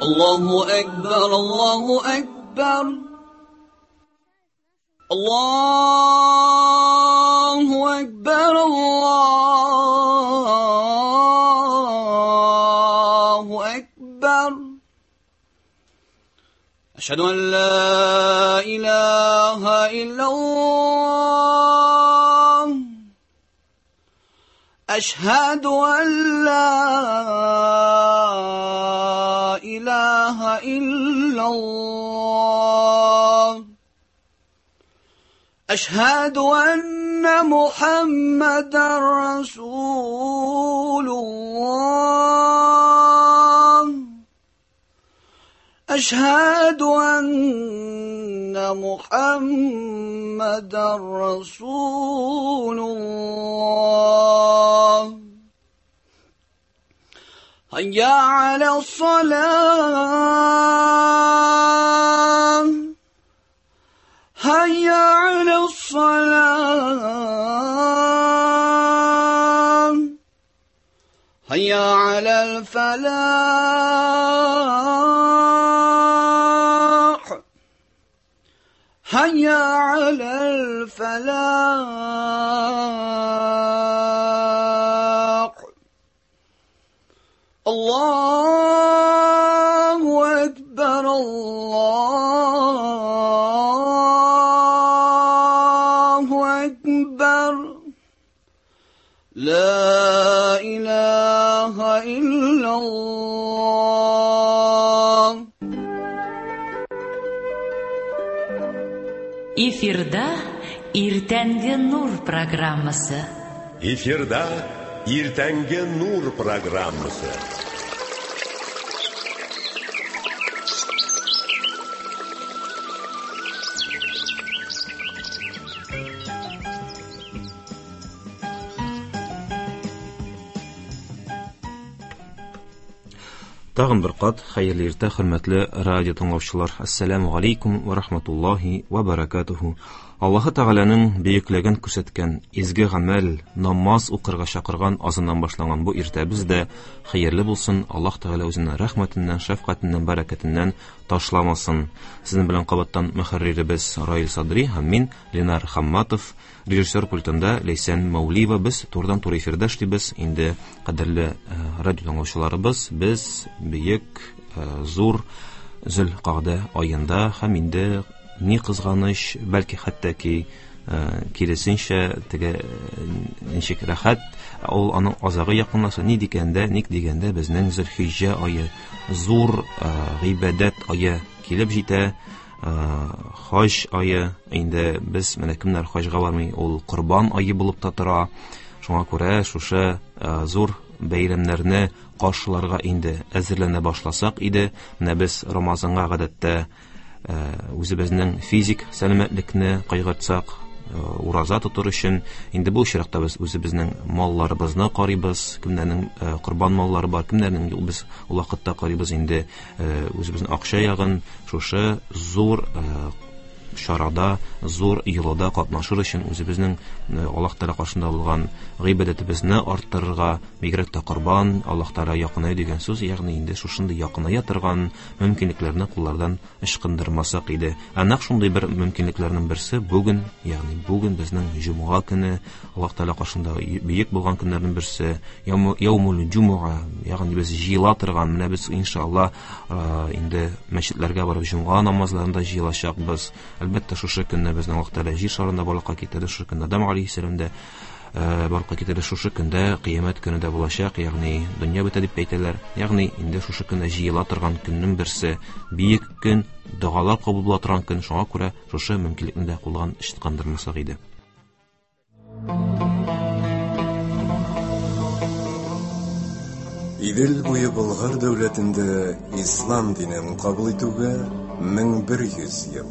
Аллаһу әкбәр, Аллаһу әкбәр. Аллаһу әкбәр, Аллаһу әкбәр. Әшһәду ан ла илаһа иллаллаһ. أشهد أن لا إله إلا الله أشهد أن محمدا رسول الله أشهد أن محمدا رسول الله هيا على الصلاة هيا على الصلاة هيا على الفلاح هيا على الفلاح الله أكبر الله أكبر لا إله إلا الله. Эфирда Иртәнге нур программасы. Эфирда Иртәнге нур программасы. Тагын бер кат хәерле иртә, хөрмәтле радио тыңлаучылар. Ассаламу алейкум ва рахматуллахи ва баракатуху. Аллаһы Тәгаләнең бөеклеген күрсәткән изге гамәл, намаз укырга чакырган азаннан башланган бу иртәбез дә хәерле булсын. Аллаһ Тәгалә үзенең рәхмәтеннән, шәфкатеннән, бәрәкәтеннән ташламасын. Сезнең белән кабаттан мөхәрриребез Раил Садри һәм мин Ленар Хамматов, режиссер пультында Ләйсән Мәүлиева. Без турыдан-туры эфирда эшлибез. Инде кадерле радио тыңлаучыларыбыз, без бөек, зур Зөлкагъдә аенда һәм инде ни кызганыч, бәлки хәтта ки киресенчә теге ничек рәхәт, ул аның азагы якынлаша. Ни дигәндә, ник дигәндә безнең Зөлхиҗҗә ае, зур гыйбадәт ае килеп җитә. Хаҗ ае, инде без менә кемнәр хаҗга бармый, ул корбан ае булып та тора. Шуңа күрә шушы зур бәйрәмнәрне каршыларга инде әзерләнә башласак иде. Менә без Рамазанга гадәттә үзебезнең физик сәламәтлекне кайгыртсак, ураза тотыр өчен, инде бу очракта без үзебезнең малларыбызны карыйбыз, кемнәрнең корбан маллары бар, кемнәрнең юк, без ул вакытта карыйбыз инде үзебезнең акча ягын. Шушы зур чарада, зур йолада катнашыр өчен үзебезнең Аллаһ Тәгалә каршында булган гыйбадәтебезне арттырырга, бигрәк тә корбан, Аллаһ Тәгалә якынаю дигән сүз, ягъни инде шушындый якыная торган мөмкинлекләрне куллардан ычкындырмасак иде. Ә нәкъ шундый бер мөмкинлекләрнең берсе бүген, ягъни бүген безнең җомга көне, Аллаһ Тәгалә каршында бөек булган көннәрнең берсе, яумул җумуа, ягъни без җыела торган, менә без иншалла инде мәчетләргә барып җомга намазларында җыелачакбыз. Әлбәттә, шушы көнне безнең Аллаһ Тәгалә җир шарында барлыкка китерде, шушы көндә Адам алейһиссәлам дә барлыкка китерде, шушы көндә кыямәт көне дә булачак, ягъни дөнья бетә дип әйтәләр. Ягъни инде шушы көндә җыела торган көннең берсе, бөек көн, догалар кабул була торган көн. Шуңа күрә шушы мөмкинлекне дә кулдан ычкындырмасак иде. Идел буе Болгар дәүләтендә ислам динен кабул итүгә 1100 ел.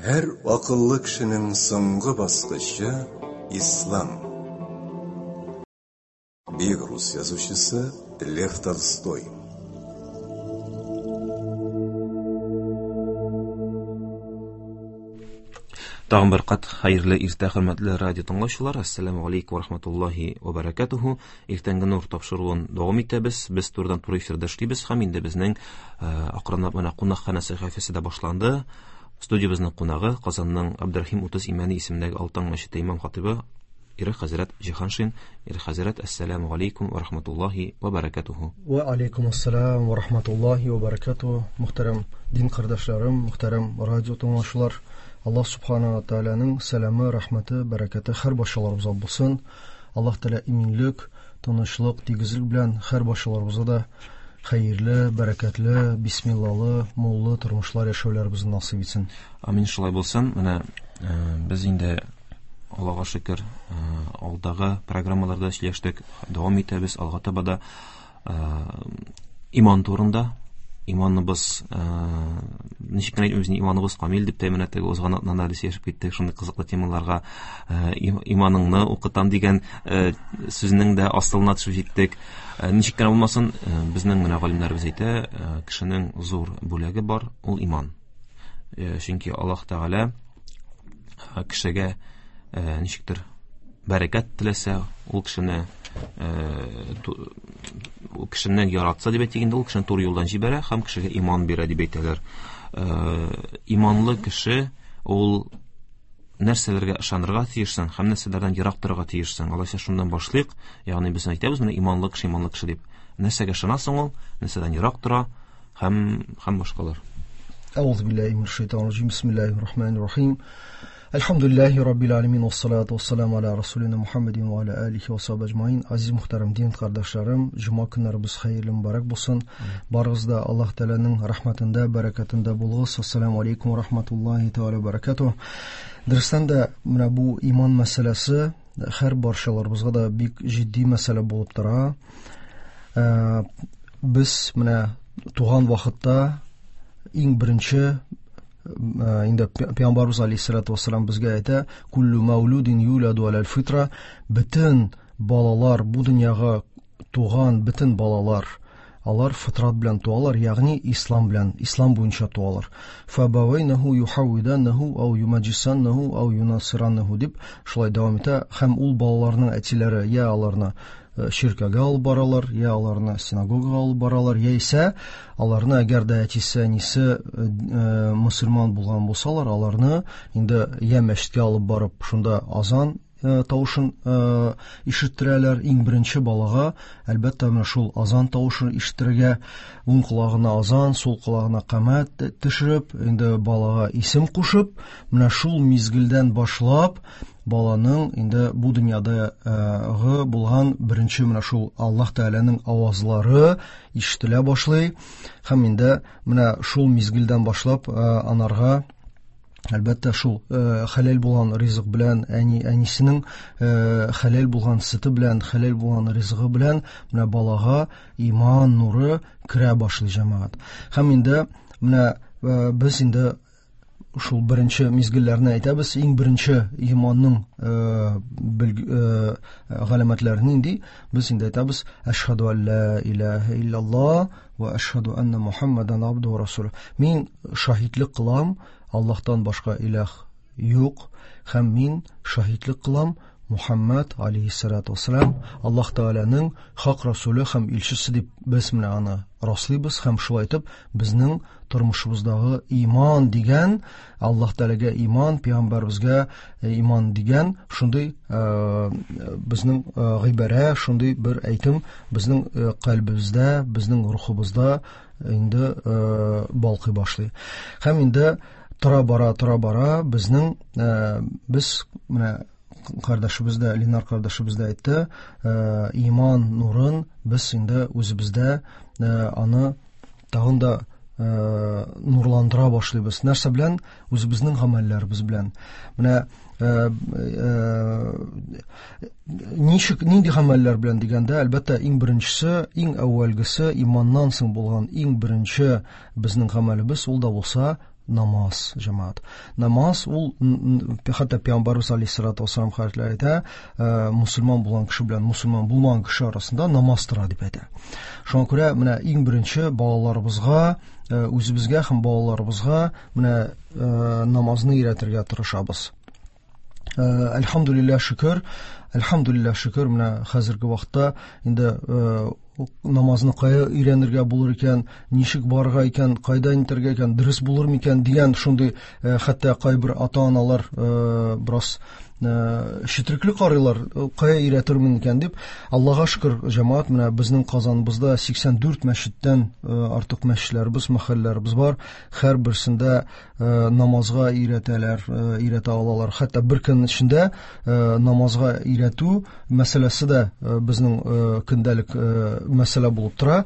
Һәр акыллы кешенең соңгы баскычы ислам. Бөек рус язучысы Лев Толстой. Тагын бер кат хәерле иртә, хөрмәтле радио тыңлаучылар. Ассаламу алейкум ва рахматуллахи ва баракатуху. Иртәнге нур тапшыруын дәвам итәбез. Без турыдан туры эфирда эшлибез һәм инде безнең акрынлап менә кунакханә сәхифәсе дә башланды. Студиябезнең кунагы Казанның Абдрахим 30 Имәни исемендәге Алтын мәчете имам хатибы Ирек хәзрәт Җиһаншин. Ирек хәзрәт, ассаламу алейкум ва рахматуллахи ва баракатуху. Ва алейкум ассалам ва рахматуллахи ва баракатуху. Мөхтәрәм дин кардәшләрем, мөхтәрәм радио тыңлаучылар, Аллаһ субхана ва тааляның сәламе, рәхмәте, бәрәкәте һәр барчаларыбызга булсын. Аллаһ Тәгалә иминлек, тынычлык, тигезлек белән һәр барчаларыбызга да хәерле, бәрәкәтле, бисмиллалы, муллы тормышлар яшәүләребезне насыйп итсен. Амин, шулай булсын. Менә без инде Аллаһка шөкер, алдагы программаларда сөйләштек, дәвам итәбез, алга таба да иман турында. Иманыбыз, ничек кенә әйтмибез, иманыбыз камил дип тә менә теге узган атнада без сөйләшеп киттек, шундый кызыклы темаларга, иманыңны укытам дигән сүзнең дә асылына төшеп җиттек. Ничек кенә булмасын, безнең менә галимнәребез әйтә, кешенең зур бүләге бар, ул иман. Чөнки Аллаһ Тәгалә кешегә ничектер бәрәкәт теләсә, ул кешене ул кешене яратса дип әйтик инде, ул кешене туры юлдан җибәрә һәм кешегә иман бирә дип әйтәләр. Иманлы кеше ул нәрсәләргә ышанырга тиешсең һәм нәрсәләрдән ерак торырга тиешсең. Алайса шуннан башлыйк. Ягъни без әйтәбез менә иманлы кеше, иманлы кеше дип. Нәрсәгә ышанасың ул, нәрсәдән ерак тора һәм башкалар. Әгъузу биллаһи минәш шайтанир раҗим. Бисмиллаһир рахманир рахим. Әлхәмдүлилләһи раббил аләмин вассалату вассаламу аля расулина Мухаммадин ва аля алихи ва сахбиһи әҗмаин. Азиз мөхтәрәм дин кардәшләрем, җомга көннәребез хәерле мөбарәк булсын. Барыгыз да Аллаһ Тәгаләнең рәхмәтендә, бәрәкәтендә булыгыз. Ассаламу алейкум ва рахматуллаһи тәгалә ва баракатуһ. Дөрестән дә менә бу иман мәсьәләсе һәр барчаларыбызга да бик җитди мәсьәлә булып тора. Без менә туган вакытта иң беренче инде Пәйгамбәрбез алейһиссалату вассалам безгә әйтә, куллу маулудин юладу алал фитра, бөтен балалар бу дөньяга туган бөтен балалар алар фитрат белән туалар, ягъни ислам белән, ислам буенча туалар. Фабавайнаху юхавиданнаху ау юмаджисаннаху ау юнасираннаху дип шулай дәвам итә. Һәм ул балаларның әтиләре я аларны ширкәгә алып баралар, я аларны синагогага алып баралар, яисә аларны әгәр дә әтисе, әнисе мөселман булган булсалар, аларны инде я мәчеткә алып барып, шунда азан тавышын ишеттерәләр. Иң беренче балага, әлбәттә, менә шул азан тавышын ишеттерергә, уң колагына азан, сул колагына камәт төшереп, инде балага исем кушып, менә шул мизгелдән башлап баланың инде бу дөньядагы булган беренче менә шул Аллаһ Тәгаләнең авазлары ишетелә башлый. Һәм инде менә шул мизгелдән башлап анарга әлбәттә шул хәләл булган ризык белән, әнисенең хәләл булган сөте белән, хәләл булган ризыгы белән менә балага иман нуры керә башлый, җәмәгать. Һәм инде менә без инде шул беренче мизгелләрне әйтәбез. Иң беренче иманның галәмәтләре нинди? Без инде әйтәбез: Әшһәду алла илаһа илляллаһ ва әшһәду анна Мухаммадан абдуһу ва расулуһ. Мин шаһитлек кылам, Аллаһтан башка илаһ юк, һәм мин шаһитлек кылам Мухаммад алейһиссалату вассалам Аллаһ Тәгаләнең хак расулы һәм илчесе дип без менә аны раслыйбыз. Һәм шулай итеп безнең тормышыбыздагы иман дигән, Аллаһ Тәгаләгә иман, пәйгамбәребезгә иман дигән шундый безнең гыйбарә, шундый бер әйтем безнең кальбебездә, безнең рухыбызда инде балкый башлый. Һәм инде тора бара безнең без менә кардәшебез дә, Ленар кардәшебез дә әйтте, иман нурын без инде үзебездә аны тагын да нурландыра башлыйбыз. Нәрсә белән? Үзебезнең гамәлләребез белән. Менә ничек, нинди гамәлләр белән дигәндә, әлбәттә, иң беренчесе, иң әүвәлгесе, иманнан соң булган иң беренче безнең гамәлебез ул да булса Намаз, җәмәгать. Намаз ул хәтта Пәйгамбәрбез алейһиссалату вассалам хәзрәтләре әйтә, мусульман булган кеше белән мусульман булмаган кеше арасында намаз тора дип әйтә. Шуңа күрә менә иң беренче балаларыбызга, үзебезгә һәм балаларыбызга менә намазны өйрәтергә тырышабыз. Әлхәмдүлилләһ шөкер, әлхәмдүлилләһ шөкер, менә хәзерге вакытта инде намазны кая өйрәнергә булыр икән, ничек барырга икән, кайда нитәргә икән, дөрес булыр микән дигән шундый хәтта кайбер ата-аналар бераз четрекле карыйлар, кая өйрәтермен икән дип. Аллага шөкер, җәмәгать, менә безнең Казаныбызда 84 мәчеттән артык мәчетләребез, мәхәлләләребез бар. Һәрберсендә намазга өйрәтәләр, өйрәтә алалар. Хәтта бер көн эчендә намазга өйрәтү мәсьәләсе дә безнең көндәлек мәсьәлә булып тора.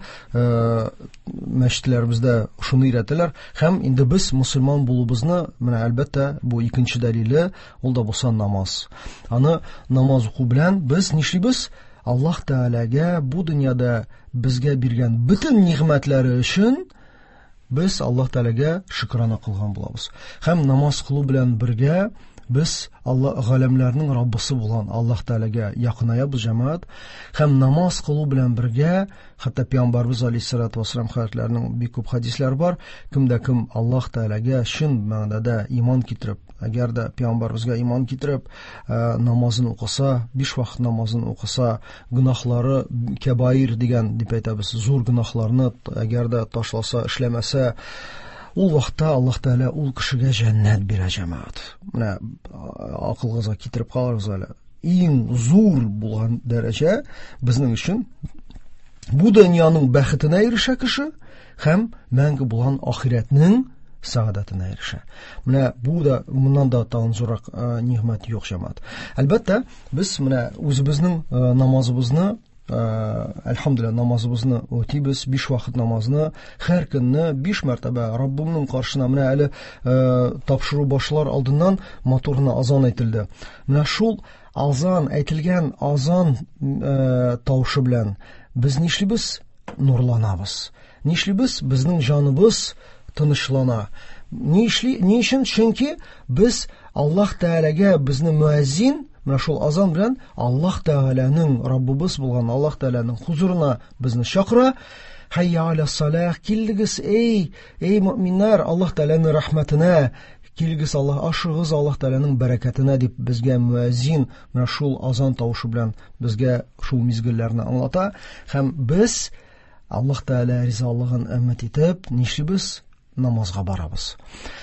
Мәчетләребездә шуны өйрәтәләр. Һәм инде без мусульман булуыбызны, менә әлбәттә, бу икенче дәлиле, ул да булса намаз. Аны намаз уку белән без нишлибез? Аллаһ Тәгаләгә бу дөньяда безгә биргән бөтен нигъмәтләре өчен без Аллаһ Тәгаләгә шөкрана кылган булабыз. Һәм намаз кылу белән бергә без Алла галәмләрнең Раббысы булган Аллаһ Тәгаләгә якынаябыз, җәмәгать. Һәм намаз кылу белән бергә, хәтта Пәйгамбәрбез алейһиссалату вассалам хәзрәтләренең бик күп хәдисләре бар, кемдә кем Аллаһ Тәгаләгә чын мәгънәдә иман китереп, әгәр дә Пәйгамбәрбезгә иман китереп, намазын укыса, биш вакыт намазын укыса, гөнаһлары кәбаир дигән дип әйтәбез, зур гөнаһларны әгәр дә ташласа, эшләмәсә, ул вакытта Аллаһ Тәгалә ул кешегә җәннәт бирә, җәмәгать. Менә акылыгызга китереп карагыз әле. Иң зур булган дәрәҗә безнең өчен бу дөньяның бәхетенә ирешә кеше һәм мәңге булган ахирәтнең сәгадәтенә ирешә. Менә бу да, моннан да тагын зуррак нигъмәт юк, җәмәгать. Әлбәттә, без менә үзебезнең намазыбызны, әлхәмдүлилләһ, намазыбызны үтибез, биш вакыт намазны, һәр көнне биш мәртәбә Раббымның каршына, менә әле тапшыру башлар алдыннан матур гына азан әйтелде. Менә шул азан әйтелгән азан тавышы белән без нишлибез? Нурланабыз. Нишлибез? Безнең җаныбыз тынычлана. Нишли? Ни өчен? Чөнки без Аллаһ Тәгаләгә безне муәззин, менә шул азан белән Аллаһ Тәгаләнең Раббыбыз булган Аллаһ Тәгаләнең хузурына безне чакыра. Хәйя аля салах, килдегез, эй, эй мөминнәр, Аллаһ Тәгаләнең рәхмәтенә, килгез Аллаһ, ашыгыз Аллаһ Тәгаләнең бәрәкәтенә дип безгә муәззин менә шул азан тавышы белән безгә шул мизгелләрне аңлата. Һәм без Аллаһ Тәгалә ризалыгын өмет итеп, нишлибез? Намазга барабыз.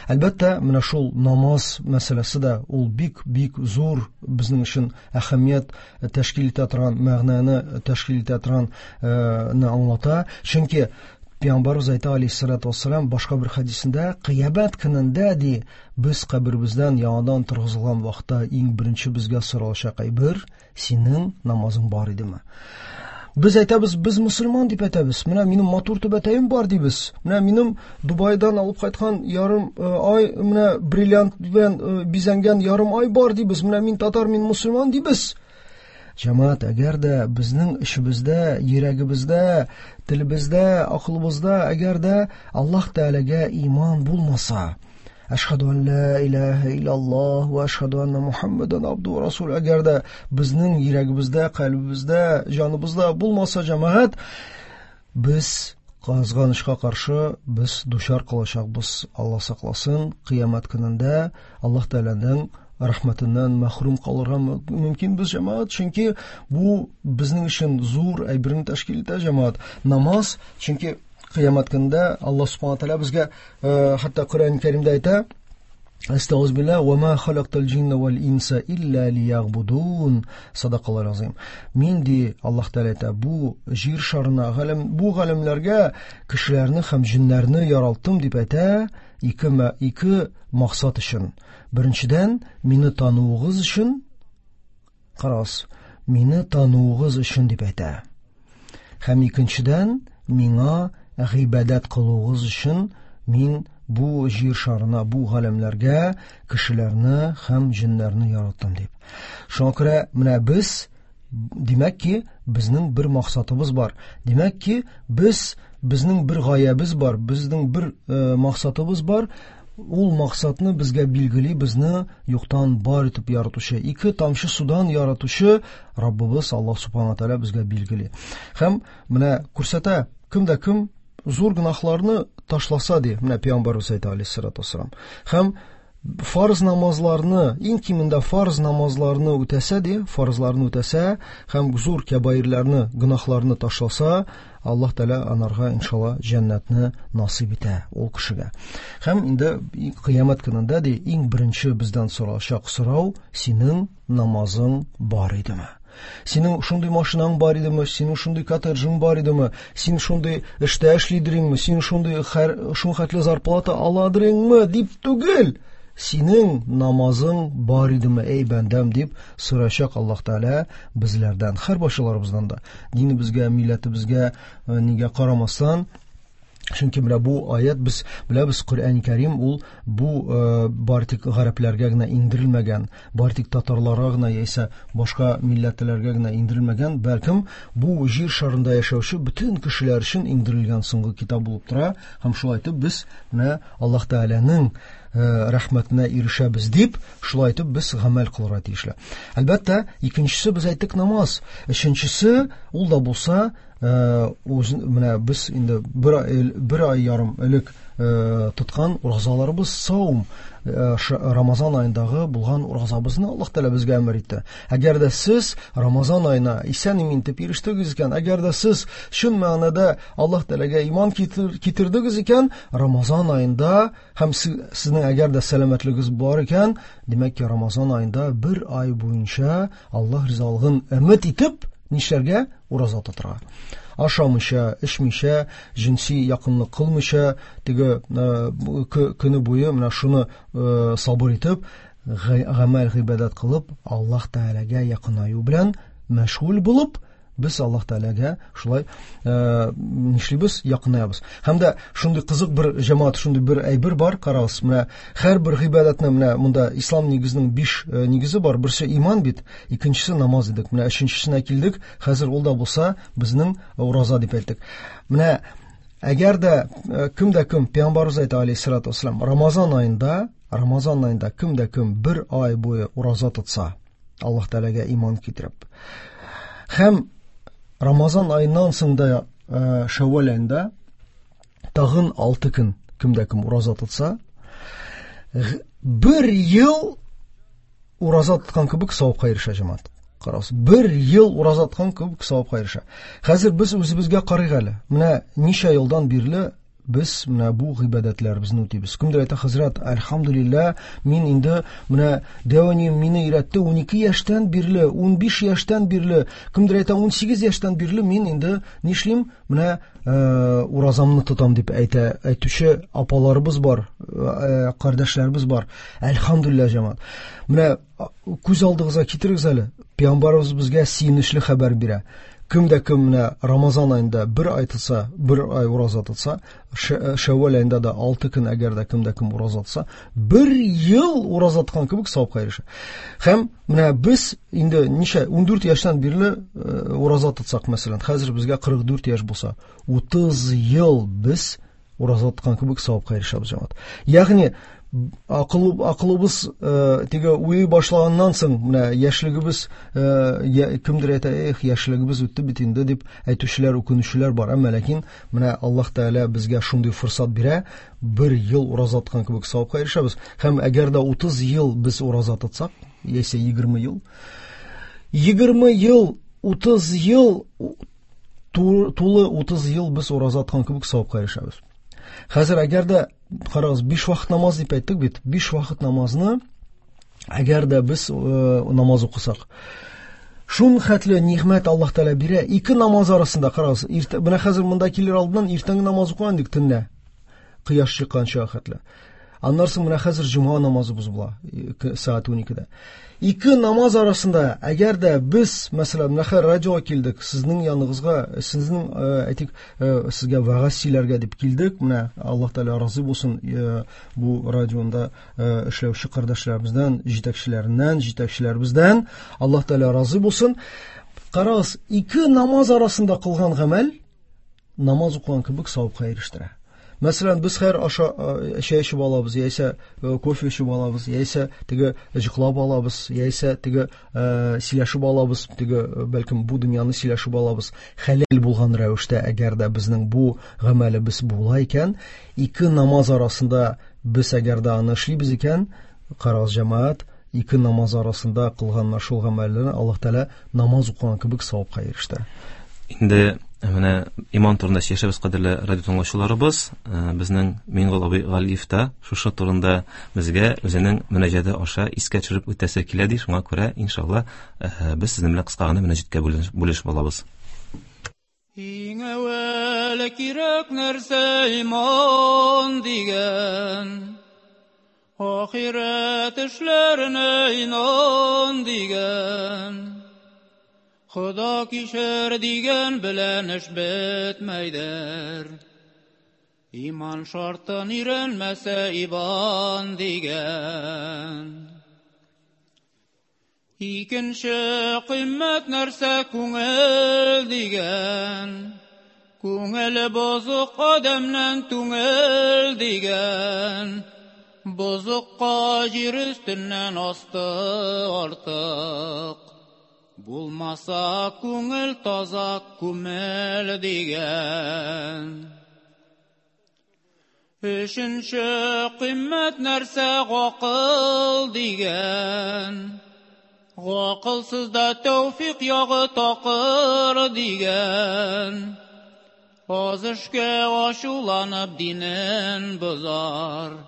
Әлбәттә, менә шул намаз мәсьәләсе дә ул бик-бик зур безнең өчен әһәмият тәшкил итә торган, мәгънәне тәшкил итә торган ны аңлата. Чөнки Пәйгамбәрбез әйтә алейһиссалату вассалам башка бер хәдисендә, кыямәт көнендә ди, без каберебездән яңадан торгызылган вакытта иң беренче безгә соралачак әйбер, синең намазың бар идеме? Без әйтәбез, без мусульман дип әйтәбез. Менә минем матур түбәтәем бар дибез. Менә минем Дубайдан алып кайткан ярым ай, менә бриллиант белән бизәнгән ярым ай бар дибез. Менә мин татар, мин мусульман дибез. Җәмәгать, әгәр дә безнең эчебездә, йөрәгебездә, телебездә, акылыбызда, әгәр дә Аллаһ Тәгаләгә иман булмаса, Әшһәду ан ла илаһа иллаллаһ ва әшһәду анна Мухаммадан абдуһу ва расулуһ. Әгәр дә безнең йөрәгебездә, кальбебездә, җаныбызда булмаса, җәмәгать, без кызганычка каршы без дучар калачакбыз. Алла сакласын, кыямәт көнендә Аллаһ Тәгаләнең рәхмәтеннән мәхрүм калырга мөмкин без, җәмәгать, чөнки бу безнең өчен зур әйберне тәшкил итә, җәмәгать. Намаз, чөнки кыямәт көнендә Аллаһ Субхану ва Тәгалә безгә хәтта Коръән Кәримдә әйтә, Әстәгъфируллаһ, ва ма халактал җинна вал инса илля лиягъбудун. Садакаллаһу азим. Мин ди Аллаһ Тәгалә әйтә, бу җир шарына, галәм, бу галәмләргә кешеләрне һәм җиннәрне яралттым дип әйтә, ике максат өчен. Беренчедән, мине тануыгыз өчен, карагыз, мине тануыгыз өчен дип әйтә. Һәм икенчедән, миңа гыйбадәт кылуыгыз өчен мин бу җир шарына, бу галәмләргә кешеләрне һәм җиннәрне яраттым дип. Шуңа күрә менә без, димәк ки, безнең бер максатыбыз бар. Димәк ки, безнең бер гаябез бар, безнең бер максатыбыз бар. Ул максатны безгә билгели, безне юктан бар итеп яратучы, ике тамчы судан яратучы Раббыбыз Аллаһ субхана тааля безгә билгели. Һәм менә күрсәтә, кем дә кем зур гөнаһларны ташласа ди, менә пәйгамбәрбез әйтә алейһиссалату вассалам. Һәм фарз намазларны, иң кимендә фарз намазларны үтәсә ди, фарзларны үтәсә һәм зур кәбаирләрне, гөнаһларны ташласа, Аллаһ Тәгалә анарга иншалла җәннәтне насыйп итә ул кешегә. Һәм инде кыямәт көнендә ди, иң беренче бездән соралачак сорау: синең намазың бар идеме? Синең шундый машинаң бар идеме? Синең шундый коттеджың бар идеме? Син шундый эштә эшлидереңме? Син шундый шул хәтле зарплата аладырыңмы? Дип түгел. Синең намазың бар идеме, эй бәндәм, дип сорачак Аллаһ Тәгалә безләрдән, һәр башаларыбыздан да. Динебезгә, милләтебезгә нигә карамастан, чөнки менә бу аят, без беләбез, Коръән Кәрим ул бу бары тик гарәпләргә генә иңдерелмәгән, бары тик татарларга гына яисә башка милләтләргә генә иңдерелмәгән, бәлкем бу җир шарында яшәүче бөтен кешеләр өчен иңдерелгән соңгы китап булып тора. Һәм шулай итеп без менә Аллаһ Тәгаләнең рәхмәтенә ирешәбез дип, шулай итеп без гамәл кылырга тиешле. Әлбәттә, икенчесе без әйттек намаз. Өченчесе ул да булса, менә без инде бер ай ярым элек тоткан уразаларыбыз, саум, Рамазан аендагы булган уразабызны Аллаһ Тәгалә безгә әмер итте. Әгәр дә сез Рамазан аена исән-имин итеп ирештегез икән, әгәр дә сез чын мәгънәдә Аллаһ Тәгаләгә иман китердегез икән, Рамазан аенда һәм сезнең әгәр дә сәламәтлегегез бар икән, димәк ки, Рамазан аенда бер ай буенча Аллаһ ризалыгын өмет итеп нишләргә? Ураза тотырга. Ашамыйча, эчмичә, җенси якынлык кылмыйча, теге көне буе менә шуны сабыр итеп, гамәл гыйбадәт кылып, Аллаһ Тәгаләгә якынаю белән мәшгуль булып, без Аллаһ Тәгаләгә шулай нишлибез, якынаябыз. Һәм дә шундый кызык бер җәмәгать, шундый бер әйбер бар, карагыз, менә һәрбер гыйбадәтне, менә монда ислам нигезенең 5 нигезе бар. Берсе иман бит, икенчесе намаз дидек. Менә өченчесенә килдек, хәзер ул да булса безнең ураза дип әйттек. Менә әгәр дә кем дә кем, пәйгамбәребез әйтә алейһиссалату вассалам, Рамазан аенда кем дә кем бер ай буе ураза тотса, Аллаһ Тәгаләгә иман китереп, һәм Рамазан аеннан соң да Шәүвәл аенда тагын 6 көн кем дә кем ураза тотса, бер ел ураза тоткан кебек савапка ирешә җәмәгать. Карагыз, бер ел ураза тоткан кебек савапка ирешә. Хәзер без үзебезгә карыйк әле. Менә ничә елдан бирле без менә бу гыйбадәтләребезне үтибез. Кемдер әйтә, хәзрәт, әлхәмдүлилләһ, мин инде менә дәү әнием мине өйрәтте 12 яшьтән бирле, 15 яшьтән бирле, кемдер әйтә 18 яшьтән бирле мин инде нишлим? Менә уразамны тотам дип әйтә, әйтүче апаларыбыз бар, кардәшләребез бар. Әлхәмдүлилләһ, җәмәгать. Менә күз алдыгызга китерегез әле. Пәйгамбәребез безгә сөенечле хәбәр бирә. Кем дә кем менә Рамазан аенда бер ай тотса, бер ай ураза тотса, Шәүвәл аенда да 6 көн әгәр дә кем дә кем ураза тотса, бер ел ураза тоткан кебек савапка ирешә. Һәм менә без инде ничә 14 яшьтән бирле ураза тотсак, мәсәлән, хәзер безгә 44 яшь булса, 30 ел без ураза тоткан кебек савапка ирешәбез, җәмәгать. Ягъни акылыбыз теге уйый башлаганнан соң, менә яшьлегебез, кемдер әйтә, эх, яшьлегебез үтте бит инде дип әйтүчеләр, үкенүчеләр бар. Әмма ләкин менә Аллаһ Тәгалә безгә шундый форсат бирә, бер ел ураза тоткан кебек савапка ирешәбез. Һәм әгәр дә 30 ел без ураза тотсак, яисә 20 ел, 20 ел, 30 ел, тулы 30 ел без ураза тоткан кебек савапка ирешәбез. Хәзер әгәр дә карагыз, 5 вакыт намаз дип әйттек бит. 5 вакыт намазны әгәр дә без намаз укысак, шун хәтле нигъмәт Аллаһ Тәгалә бирә. Ике намаз арасында карагыз, менә хәзер монда килер алдыннан иртәнге намаз укыган идек төнлә, кояш чыкканча хәтле. Аннан соң менә хәзер җомга намазыбыз була, сәгать 12-дә. Ике намаз арасында әгәр дә без, мәсәлән, менә хәзер радиога килдек, сезнең яныгызга, сезнең, әйтик, сезгә вәгазь сөйләргә дип килдек. Менә Аллаһ Тәгалә разый булсын, бу радионда эшләүче кардәшләребездән, җитәкчеләреннән, җитәкчеләребездән Аллаһ Тәгалә разый булсын. Карагыз, ике намаз арасында кылган гамәл намаз укыган кебек савапка ирештерә. Мәсәлән, без хәер аша чәй эчеп алабыз, яисә кофе эчеп алабыз, яисә теге җыклап алабыз, яисә теге сөйләшеп алабыз, теге бәлкем бу дөньяны сөйләшеп алабыз. Хәләл булган рәвештә, әгәр дә безнең бу гамәлебез була икән, ике намаз арасында без әгәр дә аны эшлибез икән, карагыз, җәмәгать, ике намаз арасында кылган шул гамәлләрне Аллаһ Тәгалә намаз укыган кебек савапка ирештерә. Инде менә иман турында сөйләшәбез, кадерле радио тыңлаучыларыбыз. Безнең Миңгол абый Галиев та шушы турында безгә үзенең мөнәҗәте аша искә төшереп үтәсе килә ди. Шуңа күрә, иншалла, без сезнең белән кыска гына мөнәҗәткә бүлешеп алабыз. Иң әүвәл кирәк нәрсә иман дигән, ахирәт эшләренә инан дигән, Худа кишер дигән белән эш бетмәйдер, иман шартын өйрәнмәсә ибан дигән. Икенче кыйммәт нәрсә күңел дигән, күңеле бозык адәмнән түңел дигән, бозыкка җир өстеннән асты артык, булмаса күңел таза күмел дигән. Өченче кыйммәт нәрсә гакыл дигән, гакылсыз да тәүфик ягы такыр дигән, аз эшкә ачуланып динен бозар,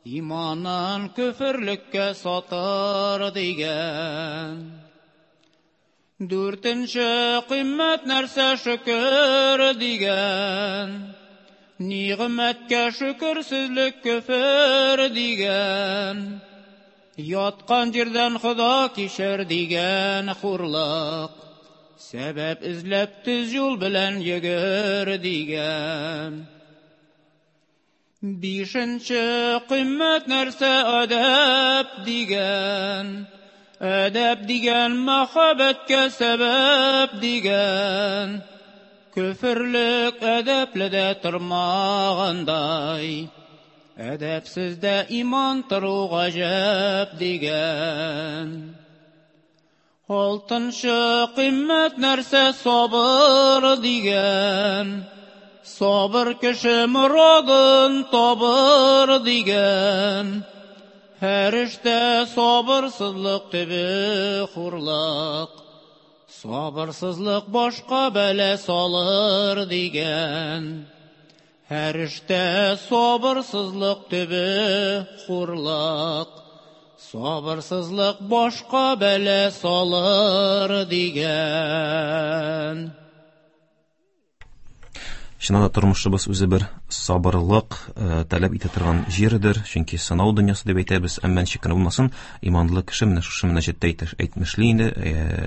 иманын көферлеккә сатыр дигән. Дүртенче кыйммәт нәрсә шөкер дигән, нигъмәткә шөкерсезлек көфер дигән, яткан җирдән Хода кичер дигән хурлык, сәбәп эзләп төз юл белән йөгер дигән. Бишенче кыйммәт нәрсә әдәп дигән, әдәп дигән мәхәббәткә сәбәп дигән, көферлек әдәпле дә тормагандай, әдәпсез дә иман тору гаҗәп дигән. Алтынчы кыйммәт нәрсә сабыр дигән, сабыр кеше морадын табыр дигән, һәр эштә сабырсызлык төбе хурлык, сабырсызлык башка бәла салыр дигән, һәр эштә сабырсызлык төбе хурлык, сабырсызлык башка бәла салыр дигән. Чыннан да тормышыбыз үзе бер сабырлык таләп итә торган җирдер, чөнки сынау дөньясы дип әйтәбез, әмма ничек кенә булмасын, иманлы кеше менә шушы мөнәҗәттә әйтмешли инде,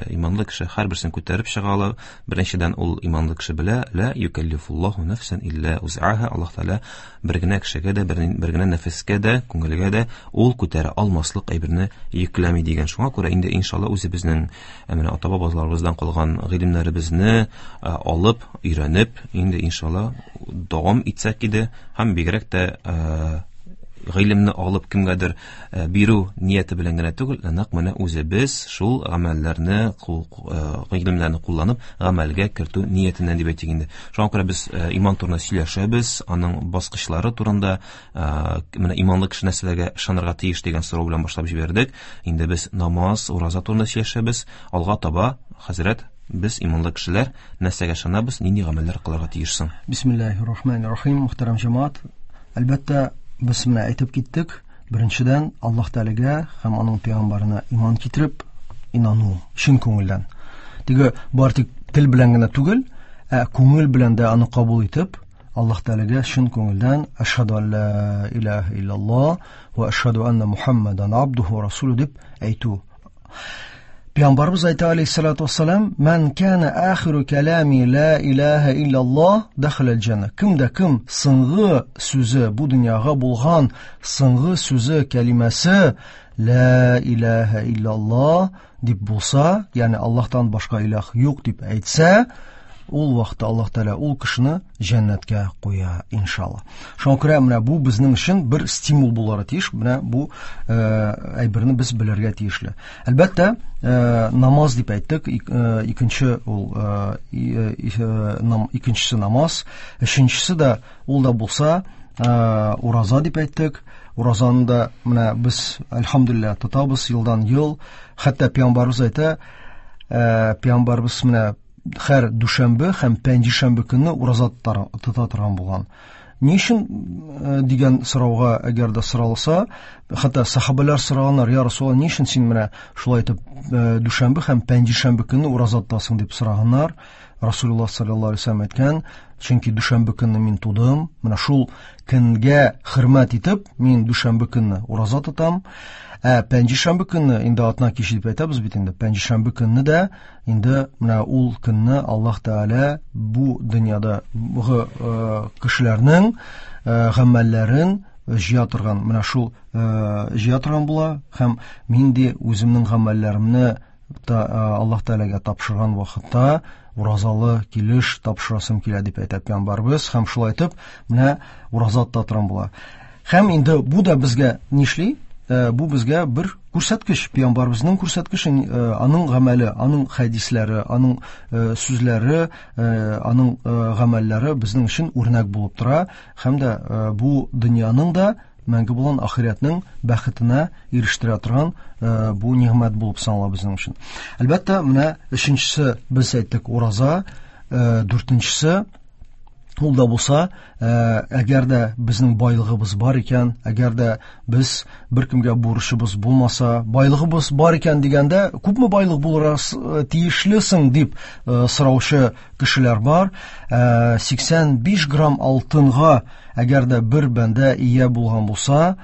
иманлы кеше һәрберсен күтәреп чыга ала. Беренчедән, ул иманлы кеше белә, ла юкаллифуллаһу нафсан илля узаха, Аллаһ Тәгалә бер генә кешегә дә, бер генә нәфескә дә, күңелгә дә ул күтәрә алмаслык әйберне йөкләми дигән. Шуңа күрә инде иншалла үзебезнең менә ата-бабаларыбыздан калган гыйлемнәребезне алып, өйрәнеп, инде иншалла дәвам итсәк иде һәм бигрәк тә гыйлемне алып кемгәдер бирү нияте белән генә түгел, нәкъ менә үзебез шул гамәлләрне, гыйлемнәрне кулланып гамәлгә кертү ниятеннән дип әйтик инде. Шуңа күрә без иман турында сөйләшәбез, аның баскычлары турында, менә иманлы кеше нәрсәләргә ышанырга тиеш дигән сорау белән башлап җибәрдек. Инде без намаз, ураза турында сөйләшәбез. Алга таба, хәзрәт, без иманлы кешеләр нәрсәгә ышанабыз, нинди гамәлләр кылырга тиеш соң? Бисмиллаһир-рахманир-рахим, мөхтәрәм җәмәгать. Әлбәттә, без менә әйтеп киттек. Беренчедән, Аллаһ Тәгаләгә һәм аның пәйгамбәренә иман китереп, инану чын күңелдән. Теге бар тик тел белән генә түгел, ә күңел белән дә аны кабул итеп, Аллаһ Тәгаләгә чын күңелдән әшһәду ан ла илаһа иллаллаһ ва әшһәду анна Мухаммадан абдуху ва расулуһу дип әйтү. Пәйгамбәрбез әйтә алейһиссалату вассалам, «Ман кана ахиру калами ла илаһа иллаллаһ дахалал җанна». Кем дә кем соңгы сүзе бу дөньяга булган соңгы сүзе кәлимәсе ла илаһа иллаллаһ дип булса, ягъни Аллаһтан башка илаһ юк дип әйтсә, Ул вакытта Аллаһ Тәгалә ул кешене җәннәткә куя, иншалла. Шуңа күрә менә бу безнең өчен бер стимул булырга тиеш, менә бу әйберне без белергә тиешле. Әлбәттә, намаз дип әйттек, икенче ул икенчесе намаз, өченчесе дә ул да булса ураза дип әйттек. Уразаны да менә без әлхәмдүлилләһ тотабыз елдан ел. Хәтта пәйгамбәрбез әйтә, пәйгамбәрбез менә һәр дүшәмбе һәм пәнҗешәмбе көнне ураза тота торган булган. Ни өчен дигән сорауга әгәр дә соралса, хәтта сахабалар сораганнар, я Расулалла, ни өчен син менә шулай итеп дүшәмбе һәм пәнҗешәмбе көнне ураза тотасың дип сораганнар. Расулуллаһ саллаллаһу алейһи вәсәлләм әйткән, чөнки дүшәмбе көнне мин тудым, менә шул көнгә хөрмәт итеп, мин дүшәмбе көнне ураза тотам. Ә пәнҗешәмбе көнне, инде атна киче дип әйтәбез бит инде, пәнҗешәмбе көнне дә инде менә ул көнне Аллаһ Тәгалә бу дөньяда кешеләрнең гамәлләрен җыя торган, менә шул җыя торган була һәм мин дә үземнең гамәлләремне Аллаһ Тәгаләгә тапшырган вакытта уразалы килеш тапшырасым килә дип әйтә пәйгамбәрбез һәм шулай итеп менә ураза тота торган була. Һәм инде бу да безгә нишли? Бу безгә бер күрсәткеч, пәйгамбәребезнең күрсәткече, аның гамәле, аның хәдисләре, аның сүзләре, аның гамәлләре безнең өчен үрнәк булып тора һәм дә бу дөньяның да мәңге булган ахирәтнең бәхетенә ирештерә торган бу нигъмәт булып санала безнең өчен. Әлбәттә, менә өченчесе без әйттек ураза, дүртенчесе ул да булса, әгәр дә безнең байлыгыбыз бар икән, әгәр дә без беркемгә бурычыбыз булмаса, байлыгыбыз бар икән дигәндә, күпме байлык булырга тиешлесең дип сораучы кешеләр бар. 85 грамм алтынга әгәр дә бер бәндә ия булган булса,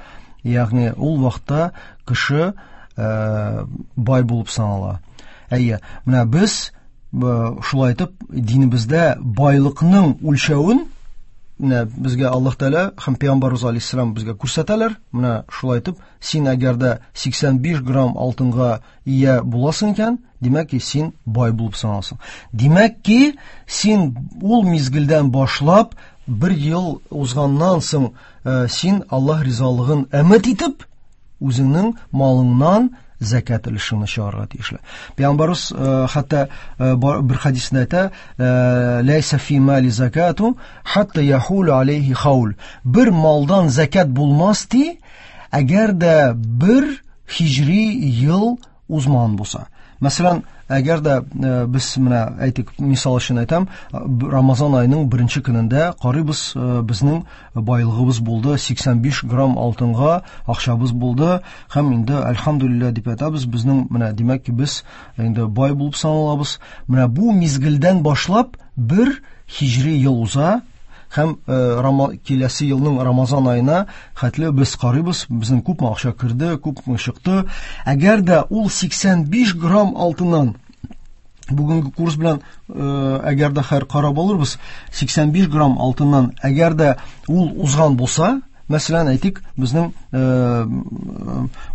ягъни ул вакытта кеше бай булып санала. Әйе, менә без шулай итеп динебездә байлыкның үлчәвен менә безгә Аллаһ Тәгалә һәм Пәйгамбәрбез алейһиссалам безгә күрсәтәләр. Менә шулай итеп, син әгәр дә 85 грамм алтынга ия буласың икән, димәк ки, син бай булып саналасың. Димәк ки, син ул мизгелдән башлап бер ел узганнан соң син Аллаһ ризалыгын өмет итеп, үзеңнең малыңнан зәкят өлешеңне чыгарырга тиешле. Пәйгамбәрбез хәтта бер хәдисендә әйтә, ләйсә фи мали закату хатта яхулу алейхи хаул. Бер малдан зәкят булмас ди, әгәр дә бер хиҗри ел узмаган булса. Мәсәлән, әгәр дә без менә әйтик, мисал өчен әйтәм, Рамазан аеның беренче көнендә карыйбыз, безнең байлыгыбыз булды 85 грамм алтынга акчабыз булды һәм инде әлхәмдүлилләһ дип әйтәбез, безнең менә димәк ки, без инде бай булып саналабыз. Менә бу мизгелдән башлап бер хиҗри ел уза һәм киләсе елның Рамазан аена хәтле без карыйбыз, безнең күпме акча керде, күпме чыкты. Әгәр дә ул 85 грамм алтыннан бүгенге курс белән әгәр дә хәер карап алырбыз, 85 грамм алтыннан әгәр дә ул узган булса, мәсәлән, әйтик, безнең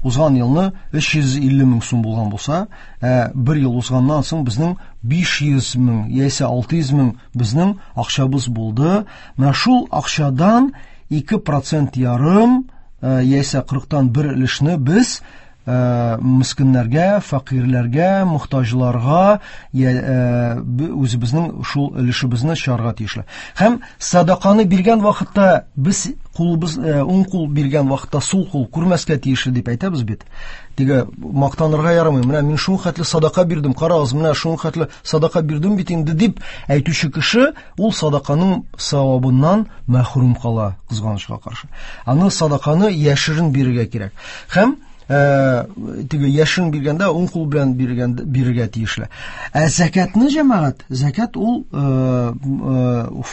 узган елны 350 мең сум булган булса, бер ел узганнан соң безнең 500 мең яисә 600 мең безнең акчабыз булды. Менә шул акчадан 2% ярым яисә 40-тан бер өлешне без мескеннәргә, фәкыйрьләргә, мохтаҗларга үзебезнең шул өлешебезне чыгарга тиешле. Һәм садаканы биргән вакытта без кулыбыз, уң кул биргән вакытта сул кул күрмәскә тиешле дип әйтәбез бит. Теге мактанырга ярамый. Менә мин шул хәтле садака бирдем, карагыз, менә шул хәтле садака бирдем бит инде дип әйтүче кеше ул садаканың савабыннан мәхрүм кала, кызганычка каршы. Аны садаканы яшерен бирергә кирәк. Һәм теге яшерен биргәндә уң кул белән бирергә тиешле. Ә зәкятны, җәмәгать, зәкят ул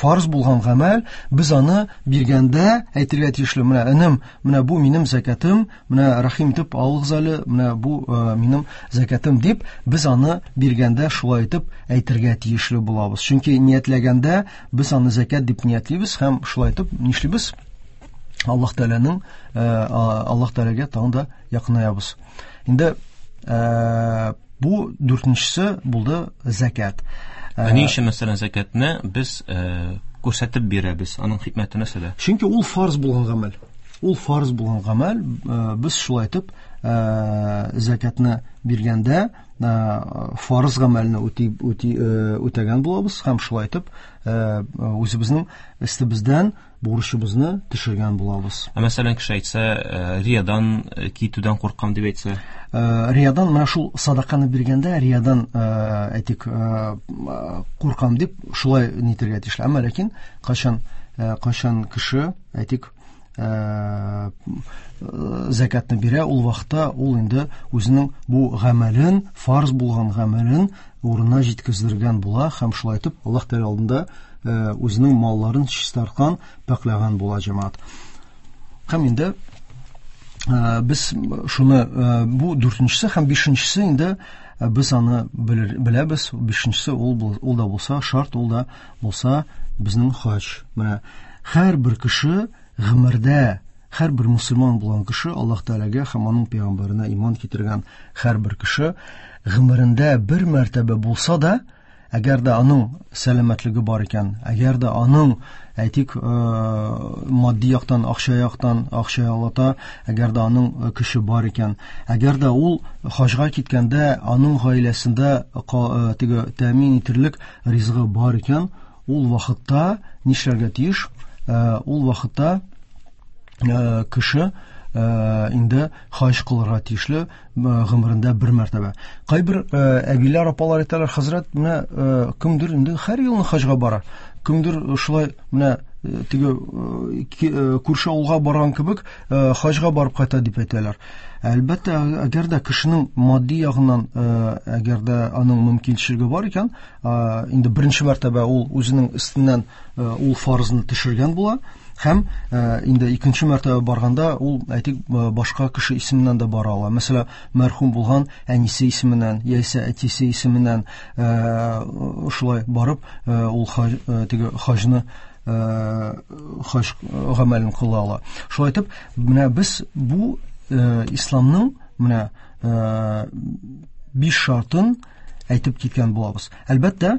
фарз булган гамәл, без аны биргәндә әйтергә тиешле. Менә энем, менә бу минем зәкятым, менә рәхим итеп алыгыз әле, менә бу минем зәкятым дип, без аны биргәндә шулай итеп әйтергә тиешле булабыз. Чөнки ниятләгәндә без аны зәкят дип ниятлибез һәм шулай итеп нишлибез? Аллаһ Тәгаләнең, Аллаһ Тәгаләгә тагын да якынаябыз. Инде бу дүртенчесе булды зәкят. Ә ни өчен, мәсәлән, зәкятне без күрсәтеп бирәбез? Аның хикмәте нәрсәдә? Чөнки ул фарз булган гамәл. Ул фарз булган гамәл, без шулай итеп зәкятны биргәндә фарыз гамәлне үти, үти, үтәгән булабыз һәм шулай итеп үзебезнең өстебездән бурычыбызны төшергән булабыз. Ә мәсәлән, кеше әйтсә, риядан китүдән куркам дип әйтсә? Риядан менә шул садаканы биргәндә риядан, әйтик, куркам дип шулай нитергә тиешле. Әмма ләкин кайчан кайчан кеше, әйтик, зәкятны бирә, ул вакытта ул инде үзенең бу гамәлен, фарз булган гамәлен урынына җиткездергән була һәм шулай итеп Аллаһ Тәгалә алдында үзенең малларын чистарткан, пакьләгән була җәмәгать. Һәм инде без шуны бу дүртенчесе һәм бишенчесе инде без аны беләбез. Бишенчесе ул ул да булса шарт, ул да булса безнең хаҗ. Менә һәрбер кеше гомердә, һәрбер мусульман булган кеше Аллаһ Тәгаләгә һәм аның пәйгамбәренә иман китергән һәрбер кеше гомерендә бер мәртәбә булса да, әгәр дә аның сәламәтлеге бар икән, әгәр дә аның, әйтик, матди яктан, акча яктан, акча алата, әгәр дә аның көче бар икән, әгәр дә ул хаҗга киткәндә аның гаиләсендә теге тәэмин итерлек ризыгы бар икән, ул вакытта нишләргә тиеш? Ул вакытта кеше инде хаҗ кылырга тиешле гомерендә бер мәртәбә. Кайбер әбиләр, апалар әйтәләр, хәзрәт, менә кемдер инде һәр елны хаҗга бара. Кемдер шулай менә теге күрше авылга барган кебек хаҗга барып кайта дип әйтәләр. Әлбәттә, әгәр дә кешенең матди ягыннан, әгәр дә аның мөмкинчелеге бар икән, инде беренче мәртәбә ул үзенең өстеннән ул фарызны төшергән була һәм инде икенче мәртәбә барганда ул, әйтик, башка кеше исеменнән дә бара ала. Мәсәлән, мәрхүм булган әнисе исеменнән яисә әтисе исеменнән шулай барып, ул теге хаҗны, хаҗ гамәлен кыла ала. Шулай итеп, менә без бу исламның менә биш шартын әйтеп киткән булабыз. Әлбәттә,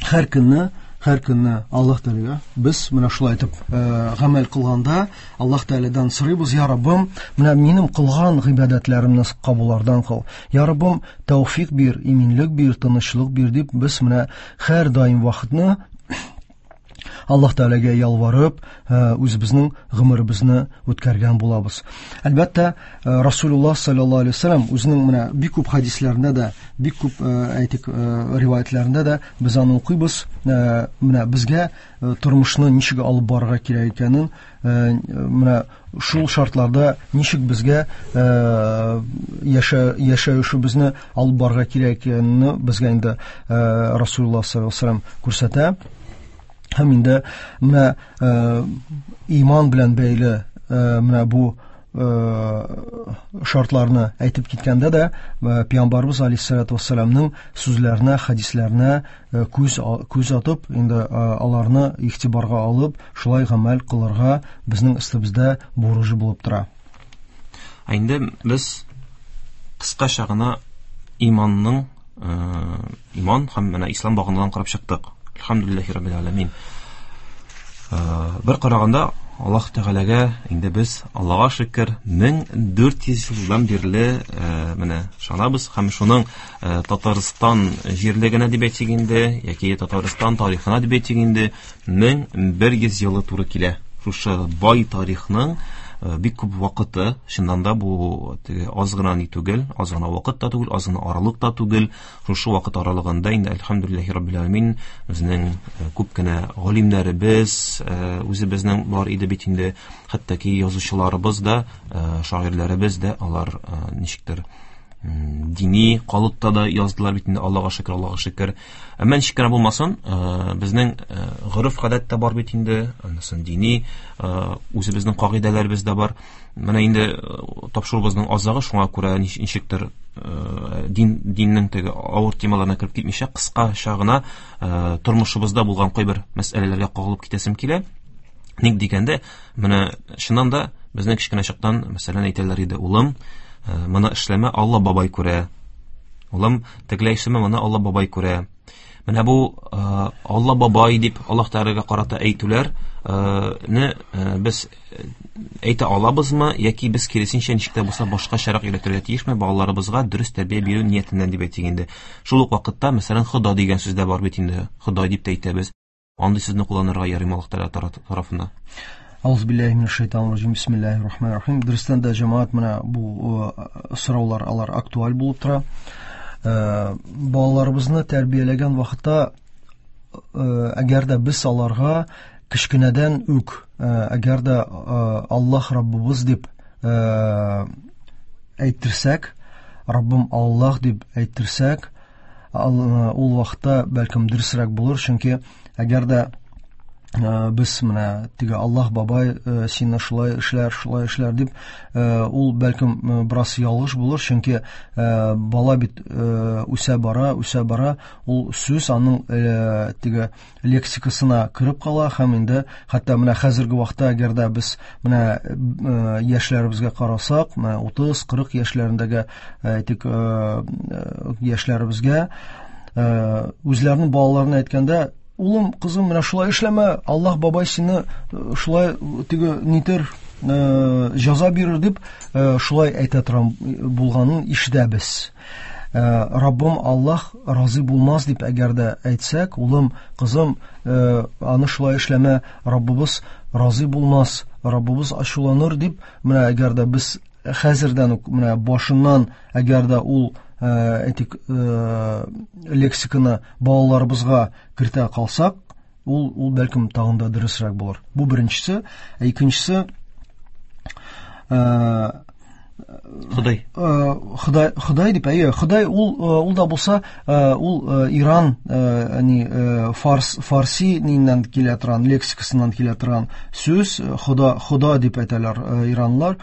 һәр көнне, һәр көнне Аллаһ Тәгаләгә без менә шулай итеп гамәл кылганда Аллаһ Тәгаләдән сорыйбыз: "Я Раббым, менә минем кылган гыйбадәтләремне кабуллардан кыл. Я Раббым, тәүфик бир, иминлек бир, тынычлык бир" дип без менә һәр даим вакытны Аллаһ Тәгаләгә ялварып, үзебезнең гомеребезне үткәргән булабыз. Әлбәттә, Расулуллаһ саллаллаһу алейһи вәсәлләм үзенең менә бик күп хадисләрендә дә, бик күп, әйтик, риваятләрендә дә без аны укыйбыз. Менә безгә тормышны ничек алып барырга кирәк икәнен, менә шул шартларда ничек безгә яшәешебезне алып барырга кирәк икәнен безгә инде Расулуллаһ саллаллаһу алейһи вәсәлләм күрсәтә. Һәм инде менә иман белән бәйле менә бу шартларны әйтеп киткәндә дә Пәйгамбәрбез алейһиссалату вассаламның сүзләренә, хадисләренә күз атып, инде аларны игътибарга алып, шулай гамәл кылырга безнең өстебездә бурыч булып тора. Ә инде без кыскача гына иманның, иман һәм менә ислам багынадан карап чыктык. Әлхәмдүлилләһи раббил аламин. Бер караганда Аллаһ Тәгаләгә инде без Аллаһка шөкер 1400 елдан бирле менә ышанабыз һәм шуның Татарстан җирлегенә дип әйтик инде, яки Татарстан тарихына дип әйтик инде 1100 елы туры килә. Шушы бай тарихның бик күп вакыты, чыннан да бу теге аз гына ни түгел, аз гына вакыт та түгел, аз гына аралык та түгел. Шушы вакыт аралыгында инде әлхәмдүлилләһи раббил аламин безнең күп кенә галимнәребез, үзебезнең бар иде бит инде, хәтта ки язучыларыбыз да, шагыйрьләребез дә алар ничектер дини калыпта да яздылар бит инде, Аллаһка шөкер, Аллаһка шөкер. Әмма ничек кенә булмасын, безнең гореф-гадәт тә бар бит инде, анысы дини, үзебезнең кагыйдәләребез дә бар. Менә инде тапшыруыбызның азагы, шуңа күрә ничектер диннең теге авыр темаларына кереп китмичә, кыскача гына тормышыбызда булган кайбер мәсьәләләргә кагылып китәсем килә. Ник дигәндә, менә чыннан да безнең кечкенә чактан, мәсәлән, әйтәләр иде: "Улым, моны эшләмә, Алла бабай күрә. Улым, тегеләй эшләмә, моны Алла бабай күрә." Менә бу Алла бабай дип Аллаһ Тәгаләгә карата әйтүләр не без әйтә алабызмы, яки без киресенчә ничек тә булса башкачарак өйрәтергә тиешме балаларыбызга дөрес тәрбия бирү ниятеннән дип әйтик инде. Шул ук вакытта, мәсәлән, Хода дигән сүз дә бар бит инде. Ходай дип тә әйтәбез. Андый сүзне кулланырга ярыймы Аллаһ Тәгалә тарафыннан? Аузу билләһи минәш шайтанир раҗим. Бисмиллаһир рахманир рахим. Дөрестән дә, җәмәгать, менә бу сораулар алар актуаль булып тора. Балаларыбызны тәрбияләгән вакытта, әгәр дә без аларга кечкенәдән үк, әгәр дә Аллаһ Раббыбыз дип әйттерсәк, Раббым Аллаһ дип әйттерсәк, ул вакытта бәлкем дөресрәк булыр, чөнки әгәр дә без менә теге Аллаһ бабай сине шулай эшләр, шулай эшләр дип, ул бәлкем бераз ялгыш булыр, чөнки бала бит үсә бара, үсә бара, ул сүз аның теге лексикасына кереп кала һәм инде хәтта менә хәзерге вакытта әгәр дә без менә яшьләребезгә карасак, менә 30-40 яшьләрендәге, әйтик, яшьләребезгә үзләренең балаларына әйткәндә, улым, кызым, менә шулай эшләмә, Аллаһ бабай сине шулай теге нитер, җәза бирер дип шулай әйтә торган булганын ишетәбез. Раббым Аллаһ разый булмас дип әгәр дә әйтсәк, улым, кызым, аны шулай эшләмә, Раббыбыз разый булмас, Раббыбыз ачуланыр дип, менә әгәр дә без хәзердән үк менә башыннан әгәр дә ул, әйтик, лексиканы балаларыбызга кертә калсак, ул бәлкем тагын да дөресрәк булыр. Бу беренчесе. Ә икенчесе, Ходай. Ходай, Ходай дип, әйе, Ходай ул да булса, ул Иран, ни, фарс, фарси ниннән килә торган, лексикасыннан килә торган сүз, Хода, Хода дип әйтәләр иранлар.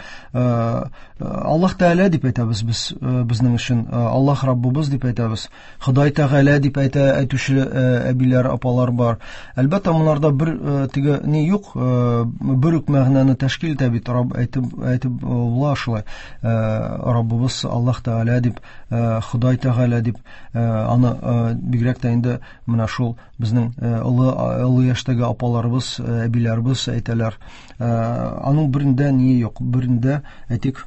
Аллаһ Тәгалә дип әйтәбез без, безнең өчен, Аллаһ Раббыбыз дип әйтәбез. Ходай Тәгалә дип әйтүче әбиләр, апалар бар. Әлбәттә, монарда бер теге ни юк, бер үк мәгънәне тәшкил итә бит, Рабб әйтеп була шулай. Раббыбыз Аллаһ Тәгалә дип, Ходай Тәгалә дип, аны бигрәк тә инде менә шул безнең олы яшьтәге апаларыбыз, әбиләребез әйтәләр. Аның берендә ни юк, берендә, әйтик,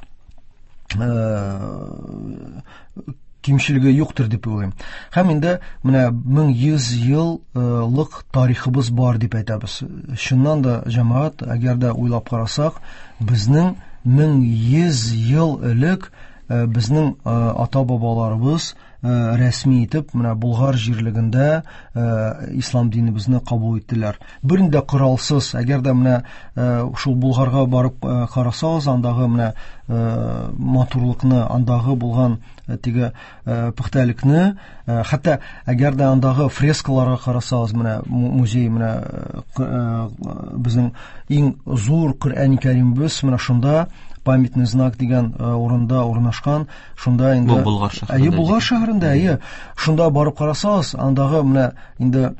кимчелеге юктыр дип уйлыйм. Һәм инде менә 1100 еллык тарихыбыз бар дип әйтәбез. Чыннан да, җәмәгать, әгәр дә уйлап карасак, безнең 1100 ел элек безнең ата-бабаларыбыз рәсми итеп менә Болгар җирлегендә ислам динебезне кабул иттеләр. Берни дә коралсыз, әгәр дә менә шул Болгарга барып карасагыз, андагы менә матурлыкны, андагы булган теге пөхтәлекне, хәтта әгәр дә андагы фрескаларга карасагыз, менә музей, менә безнең иң зур Коръән Кәримебез менә шунда памятный знак дигән урында урнашкан, шунда инде Бу Болгар шәһәрендә. Әйе, Болгар шәһәрендә, әйе. Шунда барып карасагыз, андагы менә инде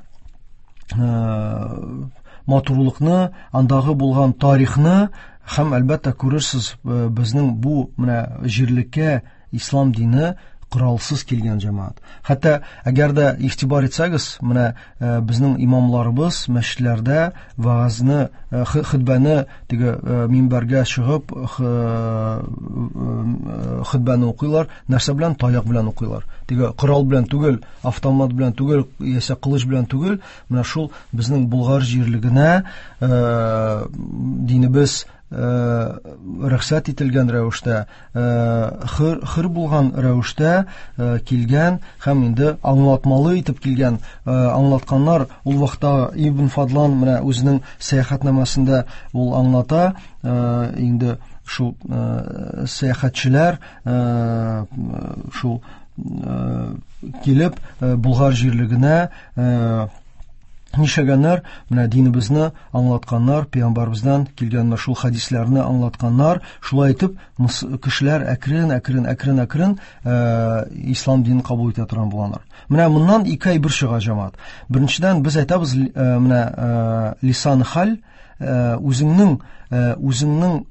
матурлыкны, андагы булган тарихны һәм әлбәттә күрерсез, безнең бу менә җирлеккә ислам дине коралсыз килгән җәмәгать. Хәтта әгәр дә игътибар итсәгез, менә безнең имамларыбыз мәчетләрдә вәгазьне, хутбәне теге минбәргә чыгып, хутбәне укыйлар, нәрсә белән? Таяк белән укыйлар. Теге корал белән түгел, автомат белән түгел, яисә кылыч белән түгел, менә шул безнең Болгар җирлегенә динебез рөхсәт ителгән рәвештә, хөр булган рәвештә килгән һәм инде аңлатмалы итеп килгән, аңлатканнар. Ул вакытта Ибн Фадлан менә үзенең сәяхәтнамәсендә ул аңлата, инде шул сәяхәтчеләр шул килеп Болгар җирлегенә нишләгәннәр, менә динебезне аңлатканнар, пәйгамбәребездән килгән менә шул хәдисләрне аңлатканнар. Шулай итеп, кешеләр әкрен, әкрен, әкрен, әкрен ислам динен кабул итә торган булганнар. Менә моннан ике әйбер чыга, җәмәгать. Беренчедән, без әйтәбез, менә лисан хәл, үзеңнең,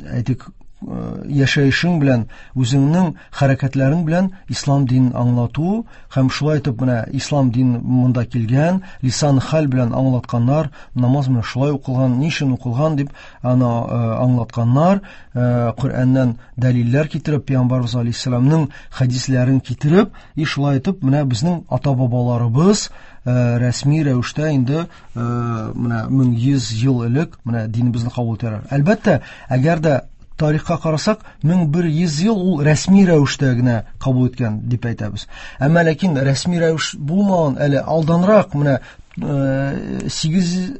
әйтик, Яшәешең белән, үзеңнең хәрәкәтләрең белән ислам динен аңлату һәм шулай итеп менә ислам дин монда килгән, лисан хәл белән аңлатканнар, намаз менә шулай укылган, ни өчен укылган дип аны аңлатканнар, Коръәннән дәлилләр китереп, Пәйгамбәрбез алейһиссәламның хәдисләрен китереп, и шулай итеп менә безнең ата-бабаларыбыз рәсми рәвештә инде менә 1100 ел элек менә динебезне кабул итәләр. Әлбәттә, әгәр дә тарихка карасак, 1100 ел ул рәсми рәвештә генә кабул иткән дип әйтәбез. Әмма ләкин рәсми рәвеш булмаган әле алданрак менә 800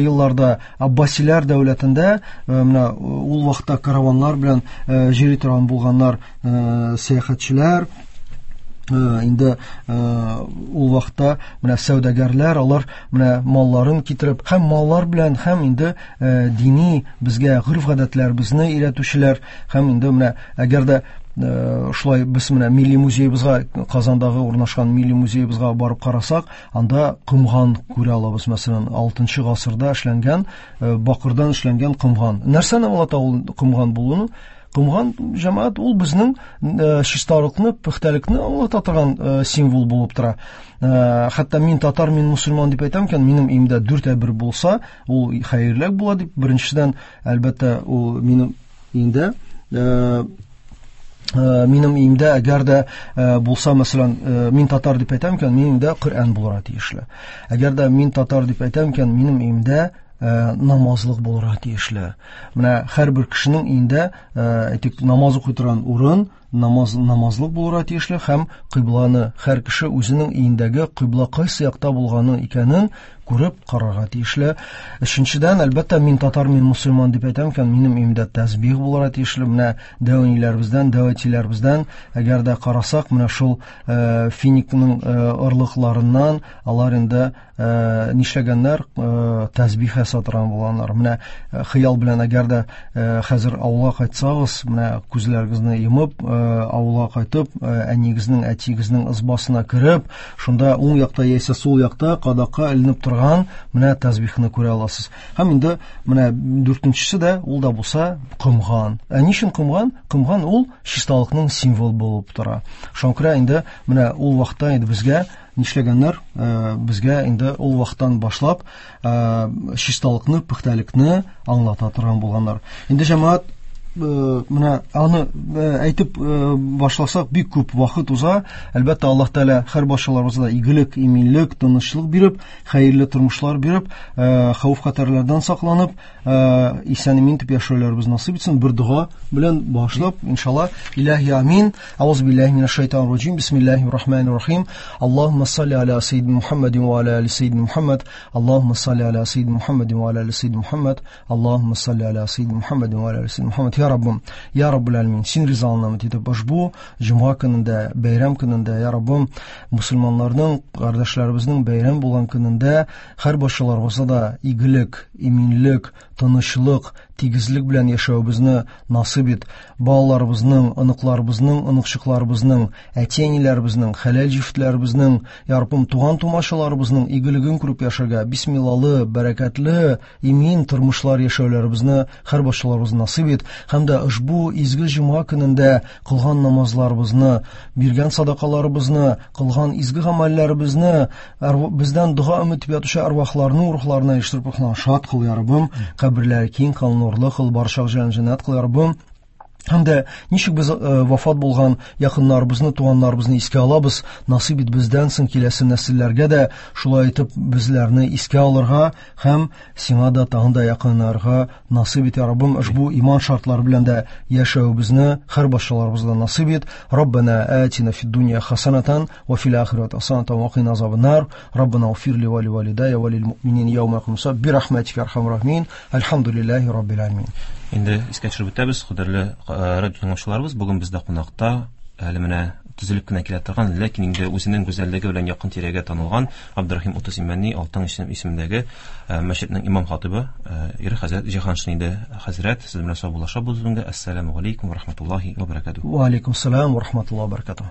елларда Аббасиләр дәүләтендә менә ул вакытта караваннар белән җөри торган булганнар сәяхәтчеләр. Инде ул вакытта менә сәүдәгәрләр алар менә малларын китереп һәм маллар белән һәм инде дини безгә гореф-гадәтләребезне өйрәтүчеләр һәм инде менә әгәр дә шулай без менә милли музеебызга, Казандагы урнашкан милли музеебызга барып карасак, анда комган күрә алабыз. Мәсәлән, 6 гасырда эшләнгән, бакырдан эшләнгән комган. Нәрсәне аңлата ул комган булуны? Комган, җәмәгать, ул безнең чисталыкны, пөхтәлекне аңлата торган символ булып тора. Хәтта мин татар, мин мусульман дип әйтәм икән, минем өемдә дүрт әйбер булса, ул хәерлерәк була дип, беренчедән, әлбәттә, ул минем өемдә минем өемдә әгәр дә булса, мәсәлән, мин татар дип әйтәм икән, минем өемдә Коръән булырга тиешле. Әгәр дә мин татар дип әйтәм икән, минем өемдә намазлык булырга тиешле. Менә һәрбер кешенең өендә, әйтик, намаз укый торган урын, намаз намазлык булырга тиешле һәм кыйбланы һәр кеше үзенең өендәге кыйбла кайсы якта булганы икәнен күреп карарга тиешле. Өченчедән, әлбәттә, мин татар, мин мусульман дип әйтәм икән, минем өемдә тәсбих булырга тиешле. Менә дәү әниләребездән, дәү әтиләребездән, әгәр дә карасак, менә шул финикның орлыкларыннан алар инде нишләгәннәр, тәсбих ясатырган булганнар. Менә хыял белән әгәр дә хәзер авылга кайтсагыз, менә күзләрегезне йомып, авылга кайтып, әниегезнең, әтиегезнең ызбасына кереп, шунда уң якта яисә сул якта кадакка эленеп торган менә тәсбихны күрә аласыз. Һәм инде менә дүртенчесе дә, ул да булса комган. Ә ни өчен комган? Комган ул чисталыкның символы булып тора. Шуңа күрә инде менә ул вакытта инде безгә нишләгәннәр? Безгә инде ул вакыттан башлап чисталыкны, пөхтәлекне аңлата торган булганнар. Инде җәмәгать, менә аны әйтеп башласак, бик күп вакыт уза. Әлбәттә, Аллаһ Тәгалә һәр барчаларыбызга игелек, иминлек, тынычлык биреп, хәерле тормышлар биреп, хәвеф-хәтәрләрдән сакланып, исән-имин итеп яшәүләребез насыйп итсен. Бер дога белән башлап, иншалла, илаһи амин. Аузу биллаһи минәш шайтанир раҗим. Бисмиллаһир рахманир рахим. Аллаһумма салли аля саййидина Мухаммадин ва аля али саййидина Мухаммад. Аллаһумма салли аля саййидина Мухаммадин ва аля али саййидина Мухаммад. Аллаһумма салли аля саййидина Мухаммадин ва аля али саййидина Мухаммад. Я Раббым, я Раббул Алямин, син ризалыгыңны өмет итеп, ошбу җомга көнендә, бәйрәм көнендә, я Раббым, мусульманнарның, кардәшләребезнең бәйрәм булган көнендә һәр барчаларыбызга да игелек, иминлек, тынычлык, тигезлек белән яшәвебезне насыйп ит. Балаларыбызның, оныкларыбызның, оныкчыкларыбызның, әти-әниләребезнең, хәләл җефетләребезнең, я Раббым, туган-тумачаларыбызның игелеген күреп яшәргә, бисмиллалы, бәрәкәтле, имин тормышлар яшәүләребезне һәр барчаларыбызны насыйп ит. Һәм дә ошбу изге җомга көнендә кылган намазларыбызны, биргән садакаларыбызны, кылган изге гамәлләребезне, бездән дога өмет итеп ятучы әрвахларның рухларына ирештереп, рухларын шат кыл, я Раббым, каберләре киң кыл, нурлы кыл, барча җәннәт кыл, я Раббым. Һәм дә ничек без вафат булган якыннарыбызны, туганнарыбызны искә алабыз, насыйп ит бездән соң киләсе нәселләргә дә шулай итеп безләрне искә алырга һәм сиңа да тагын да якынарга насыйп ит, я Раббым. Ошбу иман шартлары белән дә яшәвебезне һәр барчаларыбызга насыйп ит. Раббана атина фид дунья хасанатан ва фил ахирати хасанатан ва кина азабан-нар. Раббана уфир ли ва ли валидая ва лил муъминин яума якумус саа би рахматика я архамар рахимин. Альхамдулиллахи раббил аламин. Инде искә төшереп үтәбез, кадерле радио тыңлаучыларыбыз, бүген бездә кунакта әле менә төзелеп кенә килә торган, ләкин инде үзенең гүзәллеге белән якын тирәгә танылган Абдурахим Утыз Имәни Алтын исемендәге мәчетнең имам хатибы Ир хәзрәт Җиһаншин иде. Хәзрәт, сез белән саубуллашабыз бүгенге. Ассаламу алейкум ва рахматуллаһи ва баракатуһ. Ва алейкум ассалам ва рахматуллаһи ва баракатуһ.